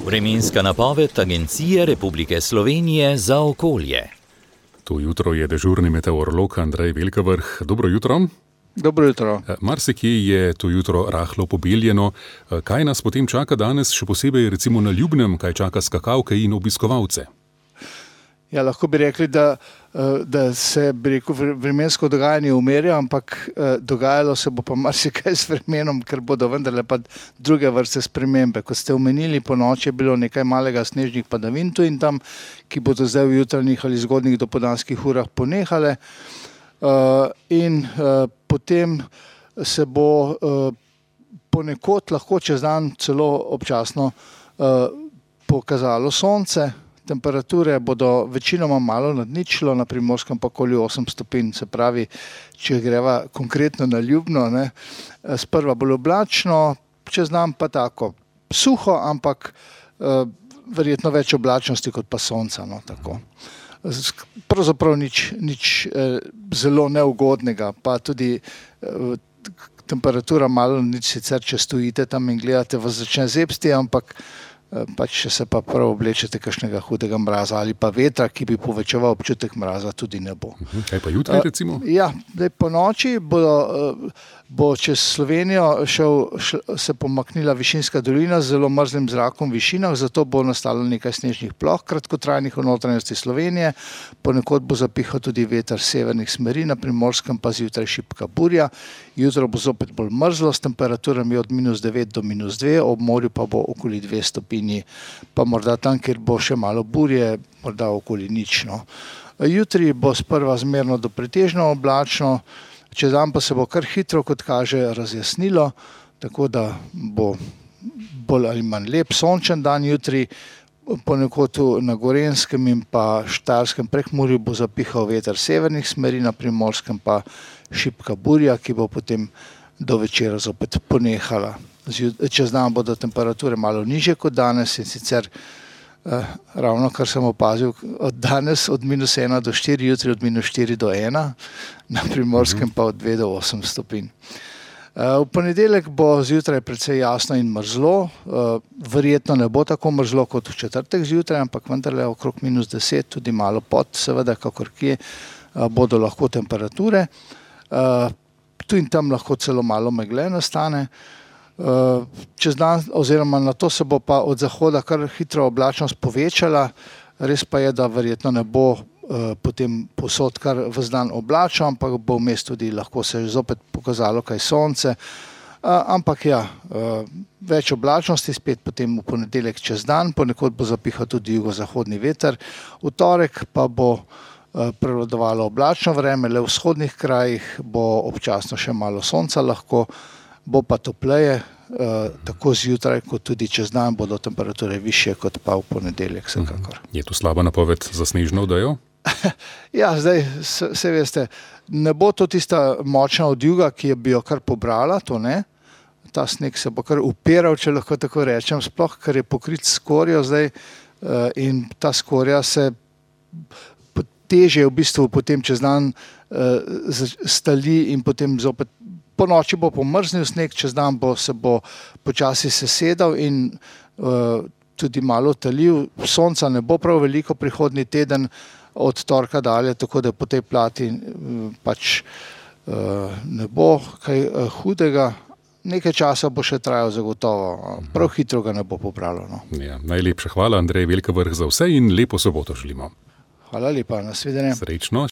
Vremenska napoved Agencije Republike Slovenije za okolje. To jutro je dežurni meteorolog Andrej Velkavrh. Dobro jutro. Dobro jutro. Marsikje je to jutro rahlo pobeljeno. Kaj nas potem čaka danes, še posebej recimo na Ljubnem, kaj čaka skakavke in obiskovalce? Ja, lahko bi rekli, da se vremensko dogajanje umirja, ampak dogajalo se bo pa marsikaj s vremenom, ker bodo vendarle pa druge vrste spremembe. Kot ste omenili, po noči je bilo nekaj malega snežnih padavin tu in tam, ki bodo zdaj v jutranjih ali zgodnjih dopoldanskih urah ponehale. In potem se bo ponekod lahko čez dan celo občasno pokazalo sonce. Temperature bodo večinoma malo nad ničlo, na Primorskem pa okoli 8 stopinj, se pravi, če greva konkretno na Ljubno, sprva bolj oblačno, čez dan pa tako suho, ampak verjetno več oblačnosti kot pa sonca. Tako. Pravzaprav nič zelo neugodnega, pa tudi temperatura malo nič sicer, če stojite tam in gledate, vas začne zebsti, ampak pač če se pa prav oblečete kakšnega hudega mraza ali pa vetra, ki bi povečeval občutek mraza, tudi ne bo. Kaj pa jutri recimo? Ja, po noči bo čez Slovenijo se pomaknila višinska dolina z zelo mrzlim zrakom v višinah, zato bo nastalo nekaj snežnih ploh, kratkotrajnih v notranjosti Slovenije. Ponekod bo zapihal tudi veter severnih smeri, na Primorskem pa zjutraj šibka burja. Jutro bo zopet bolj mrzlo, s temperaturami od -9 do -2, ob morju pa bo okoli 2 stopinji, pa morda tam, kjer bo še malo burje, morda okoli nično. Jutri bo sprva zmerno do pretežno oblačno, čez dan pa se bo kar hitro, kot kaže, razjasnilo, tako da bo bolj ali manj lep sončen dan jutri. Ponekod na Gorenjskem in pa Štajerskem Prekmurju bo zapihal veter severnih smeri, na Primorskem pa šibka burja, ki bo potem do večera zopet ponehala. Čez dan bodo temperature malo nižje kot danes in sicer ravno kar sem opazil od danes od -1 do 4, jutri od -4 do 1, na Primorskem pa od 2 do 8 stopinj. V ponedeljek bo zjutraj precej jasno in mrzlo, verjetno ne bo tako mrzlo kot v četrtek zjutraj, ampak vendarle okrog -10, tudi malo pod, seveda, kakor kje, bodo lahko temperature. Tu in tam lahko celo malo megle nastane. Čez dan oziroma na to se bo pa od zahoda kar hitro oblačnost povečala, res pa je, da verjetno ne bo potem povsod kar ves dan oblačno, ampak bo vmes tudi lahko se zopet pokazalo kaj sonce, ampak ja, več oblačnosti spet potem v ponedeljek čez dan, ponekod bo zapihal tudi jugozahodni veter, v torek pa bo prevladovalo oblačno vreme, le v vzhodnih krajih bo občasno še malo sonca lahko, bo pa topleje, tako zjutraj kot tudi čez dan bodo temperature višje kot pa v ponedeljek vsekakor. Je to slaba napoved za snežno odejo? Ja, zdaj, se veste, ne bo to tista močna odjuga, ki bi jo kar pobrala, to ne. Ta sneg se bo kar upiral, če lahko tako rečem, sploh, ker je pokrit s skorjo zdaj in ta skorja se težje v bistvu potem čez dan stali in potem zopet po noči bo pomrznil sneg, čez dan se bo počasi sesedal in tudi malo talil. Sonca ne bo prav veliko prihodnji teden od torka dalje, tako da po tej plati pač ne bo kaj hudega. Nekaj časa bo še trajal zagotovo, prav hitro ga ne bo pobralo. Ja, najlepša hvala, Andrej Velkavrh, za vse in lepo soboto želimo. Hvala lepa, nasvidenje. Srečno.